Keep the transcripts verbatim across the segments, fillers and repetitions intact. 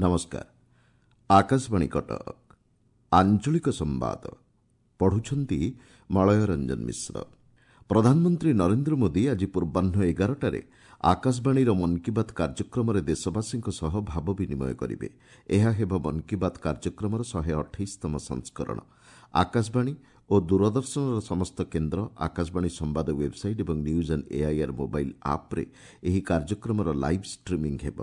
ନମସ୍କାର ଆକାଶବାଣୀ କଟକ ଆଞ୍ଚଳିକ ସମ୍ବାଦ ପଢୁଛନ୍ତି ମଳୟ ରଞ୍ଜନ ମିଶ୍ର ପ୍ରଧାନମନ୍ତ୍ରୀ ନରେନ୍ଦ୍ର ମୋଦି ଆଜି ପୂର୍ବାହ୍ନ ଏଗାରଟାରେ ଆକାଶବାଣୀର ମନ୍ କି ବାତ୍ କାର୍ଯ୍ୟକ୍ରମରେ ଦେଶବାସୀଙ୍କ ସହ ଭାବ ବିନିମୟ କରିବେ ଏହା ହେବ ମନ୍ କି ବାତ୍ କାର୍ଯ୍ୟକ୍ରମର ଶହେ ଅଠେଇଶତମ ସଂସ୍କରଣ ଆକାଶବାଣୀ ଓ ଦୂରଦର୍ଶନର ସମସ୍ତ କେନ୍ଦ୍ର ଆକାଶବାଣୀ ସମ୍ବାଦ ୱେବ୍ସାଇଟ୍ ଏବଂ ନ୍ୟୁଜ୍ ଅନ୍ ଏଆଇଆର୍ ମୋବାଇଲ୍ ଆପ୍ରେ ଏହି କାର୍ଯ୍ୟକ୍ରମର ଲାଇଭ୍ ଷ୍ଟ୍ରିମିଂ ହେବ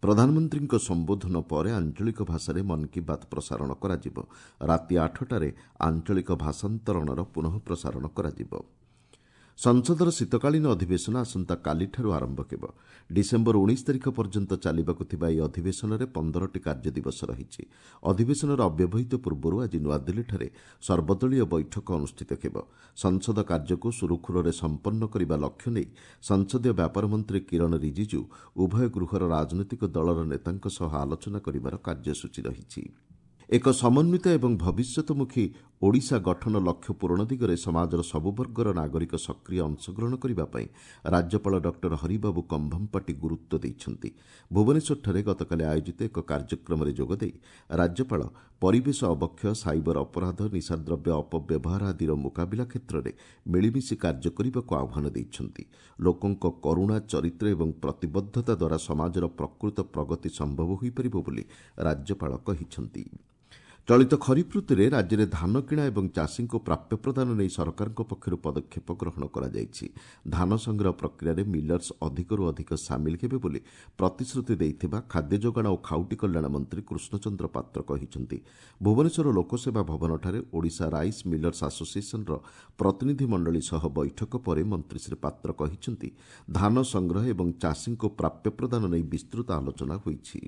ପ୍ରଧାନମନ୍ତ୍ରୀଙ୍କ ସମ୍ବୋଧନ ପରେ ଆଞ୍ଚଳିକ ଭାଷାରେ ମନ୍ କି ବାତ୍ ପ୍ରସାରଣ କରାଯିବ ରାତି ଆଠଟାରେ ଆଞ୍ଚଳିକ ଭାଷାନ୍ତରଣର ପୁନଃ ପ୍ରସାରଣ କରାଯିବ ସଂସଦର ଶୀତକାଳୀନ ଅଧିବେଶନ ଆସନ୍ତାକାଲିଠାରୁ ଆରମ୍ଭ ହେବ ଡିସେମ୍ବର ଉଣେଇଶ ତାରିଖ ପର୍ଯ୍ୟନ୍ତ ଚାଲିବାକୁ ଥିବା ଏହି ଅଧିବେଶନରେ ପନ୍ଦରଟି କାର୍ଯ୍ୟ ଦିବସ ରହିଛି ଅଧିବେଶନର ଅବ୍ୟବହିତ ପୂର୍ବରୁ ଆଜି ନୂଆଦିଲ୍ଲୀଠାରେ ସର୍ବଦଳୀୟ ବୈଠକ ଅନୁଷ୍ଠିତ ହେବ ସଂସଦ କାର୍ଯ୍ୟକୁ ସୁରୁଖୁରୁରେ ସମ୍ପନ୍ନ କରିବା ଲକ୍ଷ୍ୟ ନେଇ ସଂସଦୀୟ ବ୍ୟାପାର ମନ୍ତ୍ରୀ କିରଣ ରିଜିଜୁ ଉଭୟ ଗୃହର ରାଜନୈତିକ ଦଳର ନେତାଙ୍କ ସହ ଆଲୋଚନା କରିବାର କାର୍ଯ୍ୟସୂଚୀ ରହିଛି ଏକ ସମନ୍ୱିତ ଏବଂ ଭବିଷ୍ୟତମୁଖୀ ଓଡ଼ିଶା ଗଠନ ଲକ୍ଷ୍ୟ ପୂରଣ ଦିଗରେ ସମାଜର ସବୁ ବର୍ଗର ନାଗରିକ ସକ୍ରିୟ ଅଂଶଗ୍ରହଣ କରିବା ପାଇଁ ରାଜ୍ୟପାଳ ଡକ୍ଟର ହରିବାବୁ କମ୍ଭମପାଟି ଗୁରୁତ୍ୱ ଦେଇଛନ୍ତି ଭୁବନେଶ୍ୱରଠାରେ ଗତକାଲି ଆୟୋଜିତ ଏକ କାର୍ଯ୍ୟକ୍ରମରେ ଯୋଗଦେଇ ରାଜ୍ୟପାଳ ପରିବେଶ ଅବକ୍ଷୟ ସାଇବର ଅପରାଧ ନିଶାଦ୍ରବ୍ୟ ଅପବ୍ୟବହାର ଆଦିର ମୁକାବିଲା କ୍ଷେତ୍ରରେ ମିଳିମିଶି କାର୍ଯ୍ୟ କରିବାକୁ ଆହ୍ୱାନ ଦେଇଛନ୍ତି ଲୋକଙ୍କ କରୁଣା ଚରିତ୍ର ଏବଂ ପ୍ରତିବଦ୍ଧତା ଦ୍ୱାରା ସମାଜର ପ୍ରକୃତ ପ୍ରଗତି ସମ୍ଭବ ହୋଇପାରିବ ବୋଲି ରାଜ୍ୟପାଳ କହିଛନ୍ତି ଚଳିତ ଖରିଫ ଋତୁରେ ରାଜ୍ୟରେ ଧାନ କିଣା ଏବଂ ଚାଷୀଙ୍କୁ ପ୍ରାପ୍ୟ ପ୍ରଦାନ ନେଇ ସରକାରଙ୍କ ପକ୍ଷରୁ ପଦକ୍ଷେପ ଗ୍ରହଣ କରାଯାଇଛି ଧାନ ସଂଗ୍ରହ ପ୍ରକ୍ରିୟାରେ ମିଲର୍ସ ଅଧିକରୁ ଅଧିକ ସାମିଲ ହେବେ ବୋଲି ପ୍ରତିଶ୍ରୁତି ଦେଇଥିବା ଖାଦ୍ୟ ଯୋଗାଣ ଓ ଖାଉଟି କଲ୍ୟାଣ ମନ୍ତ୍ରୀ କୃଷ୍ଣଚନ୍ଦ୍ର ପାତ୍ର କହିଛନ୍ତି ଭୁବନେଶ୍ୱର ଲୋକସେବା ଭବନଠାରେ ଓଡ଼ିଶା ରାଇସ୍ ମିଲର୍ସ ଆସୋସିଏସନ୍ର ପ୍ରତିନିଧିମଣ୍ଡଳୀ ସହ ବୈଠକ ପରେ ମନ୍ତ୍ରୀ ଶ୍ରୀ ପାତ୍ର କହିଛନ୍ତି ଧାନ ସଂଗ୍ରହ ଏବଂ ଚାଷୀଙ୍କୁ ପ୍ରାପ୍ୟ ପ୍ରଦାନ ନେଇ ବିସ୍ତୃତ ଆଲୋଚନା ହୋଇଛି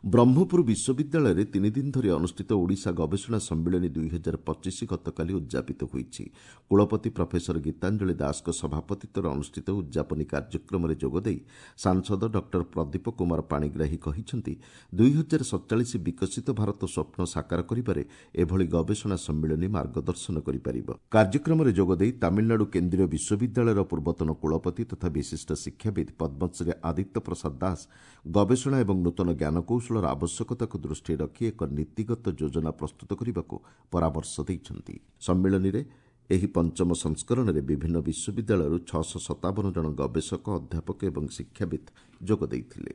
ବ୍ରହ୍ମପୁର ବିଶ୍ୱବିଦ୍ୟାଳୟରେ ତିନିଦିନ ଧରି ଅନୁଷ୍ଠିତ ଓଡ଼ିଶା ଗବେଷଣା ସମ୍ମିଳନୀ ଦୁଇ ହଜାର ପଚିଶ ଗତକାଲି ଉଦ୍ଯାପିତ ହୋଇଛି କୁଳପତି ପ୍ରଫେସର ଗୀତାଞ୍ଜଳି ଦାସଙ୍କ ସଭାପତିତ୍ୱରେ ଅନୁଷ୍ଠିତ ଉଦ୍ଯାପନୀ କାର୍ଯ୍ୟକ୍ରମରେ ଯୋଗଦେଇ ସାଂସଦ ଡକ୍ଟର ପ୍ରଦୀପ କୁମାର ପାଣିଗ୍ରାହୀ କହିଛନ୍ତି ଦୁଇ ହଜାର ସତଚାଳିଶ ବିକଶିତ ଭାରତ ସ୍ୱପ୍ନ ସାକାର କରିବାରେ ଏଭଳି ଗବେଷଣା ସମ୍ମିଳନୀ ମାର୍ଗଦର୍ଶନ କରିପାରିବ କାର୍ଯ୍ୟକ୍ରମରେ ଯୋଗଦେଇ ତାମିଲନାଡୁ କେନ୍ଦ୍ରୀୟ ବିଶ୍ୱବିଦ୍ୟାଳୟର ପୂର୍ବତନ କୁଳପତି ତଥା ବିଶିଷ୍ଟ ଶିକ୍ଷାବିତ୍ ପଦ୍ମଶ୍ରୀ ଆଦିତ୍ୟ ପ୍ରସାଦ ଦାସ ଗବେଷଣା ଏବଂ ନୂତନ ଜ୍ଞାନକୌଶଳର ଆବଶ୍ୟକତାକୁ ଦୃଷ୍ଟିରେ ରଖି ଏକ ନୀତିଗତ ଯୋଜନା ପ୍ରସ୍ତୁତ କରିବାକୁ ପରାମର୍ଶ ଦେଇଛନ୍ତି ସମ୍ମିଳନୀରେ ଏହି ପଞ୍ଚମ ସଂସ୍କରଣରେ ବିଭିନ୍ନ ବିଶ୍ୱବିଦ୍ୟାଳୟରୁ ଛଅଶହ ସତାବନ ଜଣ ଗବେଷକ ଅଧ୍ୟାପକ ଏବଂ ଶିକ୍ଷାବିତ୍ ଯୋଗ ଦେଇଥିଲେ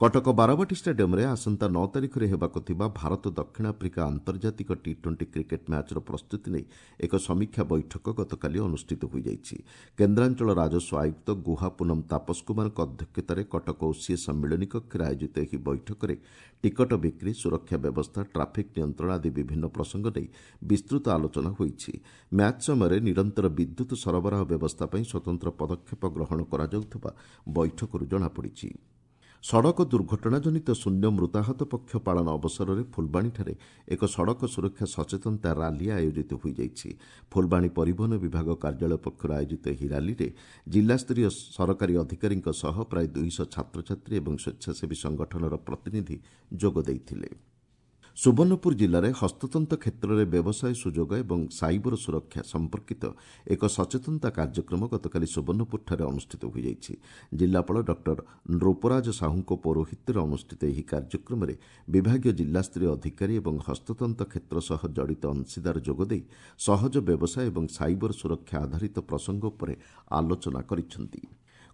କଟକ ବାରବାଟୀ ଷ୍ଟାଡିୟମ୍ରେ ଆସନ୍ତା ନଅ ତାରିଖରେ ହେବାକୁ ଥିବା ଭାରତ ଦକ୍ଷିଣ ଆଫ୍ରିକା ଆନ୍ତର୍ଜାତିକ ଟି ଟ୍ୱେଣ୍ଟି କ୍ରିକେଟ୍ ମ୍ୟାଚ୍ର ପ୍ରସ୍ତୁତି ନେଇ ଏକ ସମୀକ୍ଷା ବୈଠକ ଗତକାଲି ଅନୁଷ୍ଠିତ ହୋଇଯାଇଛି କେନ୍ଦ୍ରାଞ୍ଚଳ ରାଜସ୍ୱ ଆୟୁକ୍ତ ଗୁହା ପୁନମ ତାପସ କୁମାରଙ୍କ ଅଧ୍ୟକ୍ଷତାରେ କଟକ ଓସିଏ ସମ୍ମିଳନୀ କକ୍ଷରେ ଆୟୋଜିତ ଏହି ବୈଠକରେ ଟିକଟ ବିକ୍ରି ସୁରକ୍ଷା ବ୍ୟବସ୍ଥା ଟ୍ରାଫିକ୍ ନିୟନ୍ତ୍ରଣ ଆଦି ବିଭିନ୍ନ ପ୍ରସଙ୍ଗ ନେଇ ବିସ୍ତୃତ ଆଲୋଚନା ହୋଇଛି ମ୍ୟାଚ୍ ସମୟରେ ନିରନ୍ତର ବିଦ୍ୟୁତ୍ ସରବରାହ ବ୍ୟବସ୍ଥା ପାଇଁ ସ୍ୱତନ୍ତ୍ର ପଦକ୍ଷେପ ଗ୍ରହଣ କରାଯାଉଥିବା ବୈଠକରୁ ଜଣାପଡ଼ିଛି ସଡ଼କ ଦୁର୍ଘଟଣାଜନିତ ଶୂନ୍ୟ ମୃତାହତ ପକ୍ଷ ପାଳନ ଅବସରରେ ଫୁଲବାଣୀଠାରେ ଏକ ସଡ଼କ ସୁରକ୍ଷା ସଚେତନତା ରାଲି ଆୟୋଜିତ ହୋଇଯାଇଛି ଫୁଲବାଣୀ ପରିବହନ ବିଭାଗ କାର୍ଯ୍ୟାଳୟ ପକ୍ଷରୁ ଆୟୋଜିତ ଏହି ରାଲିରେ ଜିଲ୍ଲାସ୍ତରୀୟ ସରକାରୀ ଅଧିକାରୀଙ୍କ ସହ ପ୍ରାୟ ଦୁଇଶହ ଛାତ୍ରଛାତ୍ରୀ ଏବଂ ସ୍ୱେଚ୍ଛାସେବୀ ସଂଗଠନର ପ୍ରତିନିଧି ଯୋଗ ଦେଇଥିଲେ ସୁବର୍ଣ୍ଣପୁର ଜିଲ୍ଲାରେ ହସ୍ତତନ୍ତ କ୍ଷେତ୍ରରେ ବ୍ୟବସାୟ ସୁଯୋଗ ଏବଂ ସାଇବର ସୁରକ୍ଷା ସମ୍ପର୍କିତ ଏକ ସଚେତନତା କାର୍ଯ୍ୟକ୍ରମ ଗତକାଲି ସୁବର୍ଣ୍ଣପୁରଠାରେ ଅନୁଷ୍ଠିତ ହୋଇଯାଇଛି ଜିଲ୍ଲାପାଳ ଡକ୍ଟର ନୃପରାଜ ସାହୁଙ୍କ ପୌରୋହିତ୍ୟରେ ଅନୁଷ୍ଠିତ ଏହି କାର୍ଯ୍ୟକ୍ରମରେ ବିଭାଗୀୟ ଜିଲ୍ଲାସ୍ତରୀୟ ଅଧିକାରୀ ଏବଂ ହସ୍ତତନ୍ତ କ୍ଷେତ୍ର ସହ ଜଡ଼ିତ ଅଂଶୀଦାର ଯୋଗଦେଇ ସହଜ ବ୍ୟବସାୟ ଏବଂ ସାଇବର ସୁରକ୍ଷା ଆଧାରିତ ପ୍ରସଙ୍ଗ ଉପରେ ଆଲୋଚନା କରିଛନ୍ତି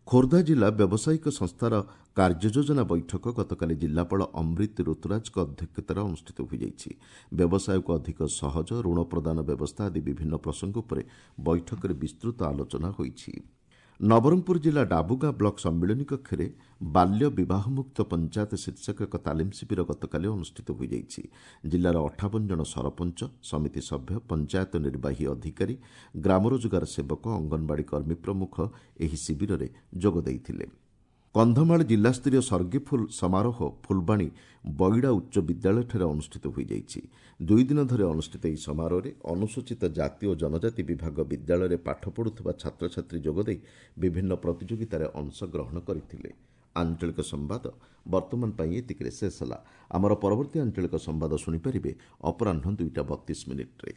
ଖୋର୍ଦ୍ଧା ଜିଲ୍ଲା ବ୍ୟବସାୟିକ ସଂସ୍ଥାର କାର୍ଯ୍ୟଯୋଜନା ବୈଠକ ଗତକାଲି ଜିଲ୍ଲାପାଳ ଅମ୍ରିତ ଋତୁରାଜଙ୍କ ଅଧ୍ୟକ୍ଷତାରେ ଅନୁଷ୍ଠିତ ହୋଇଯାଇଛି ବ୍ୟବସାୟକୁ ଅଧିକ ସହଜ ଋଣ ପ୍ରଦାନ ବ୍ୟବସ୍ଥା ଆଦି ବିଭିନ୍ନ ପ୍ରସଙ୍ଗ ଉପରେ ବୈଠକରେ ବିସ୍ତୃତ ଆଲୋଚନା ହୋଇଛି ନବରଙ୍ଗପୁର ଜିଲ୍ଲା ଡାବୁଗାଁ ବ୍ଲକ ସମ୍ମିଳନୀ କକ୍ଷରେ ବାଲ୍ୟ ବିବାହମୁକ୍ତ ପଞ୍ଚାୟତ ଶୀର୍ଷକ ଏକ ତାଲିମ ଶିବିର ଗତକାଲି ଅନୁଷ୍ଠିତ ହୋଇଯାଇଛି ଜିଲ୍ଲାର ଅଠାବନ ଜଣ ସରପଞ୍ଚ ସମିତି ସଭ୍ୟ ପଞ୍ଚାୟତ ନିର୍ବାହୀ ଅଧିକାରୀ ଗ୍ରାମ ରୋଜଗାର ସେବକ ଅଙ୍ଗନବାଡ଼ି କର୍ମୀ ପ୍ରମୁଖ ଏହି ଶିବିରରେ ଯୋଗ ଦେଇଥିଲେ କନ୍ଧମାଳ ଜିଲ୍ଲାସ୍ତରୀୟ ସର୍ଗିଫୁଲ ସମାରୋହ ଫୁଲବାଣୀ ବଇଡ଼ା ଉଚ୍ଚ ବିଦ୍ୟାଳୟଠାରେ ଅନୁଷ୍ଠିତ ହୋଇଯାଇଛି ଦୁଇ ଦିନ ଧରି ଅନୁଷ୍ଠିତ ଏହି ସମାରୋହରେ ଅନୁସୂଚିତ ଜାତି ଓ ଜନଜାତି ବିଭାଗ ବିଦ୍ୟାଳୟରେ ପାଠ ପଢୁଥିବା ଛାତ୍ରଛାତ୍ରୀ ଯୋଗଦେଇ ବିଭିନ୍ନ ପ୍ରତିଯୋଗିତାରେ ଅଂଶଗ୍ରହଣ କରିଥିଲେ ଆଞ୍ଚଳିକ ସମ୍ବାଦ ବର୍ତ୍ତମାନ ପାଇଁ ଏତିକିରେ ଶେଷ ହେଲା ଆମର ପରବର୍ତ୍ତୀ ଆଞ୍ଚଳିକ ସମ୍ବାଦ ଶୁଣିପାରିବେ ଅପରାହ୍ନ ଦୁଇଟା ବତିଶ ମିନିଟ୍ରେ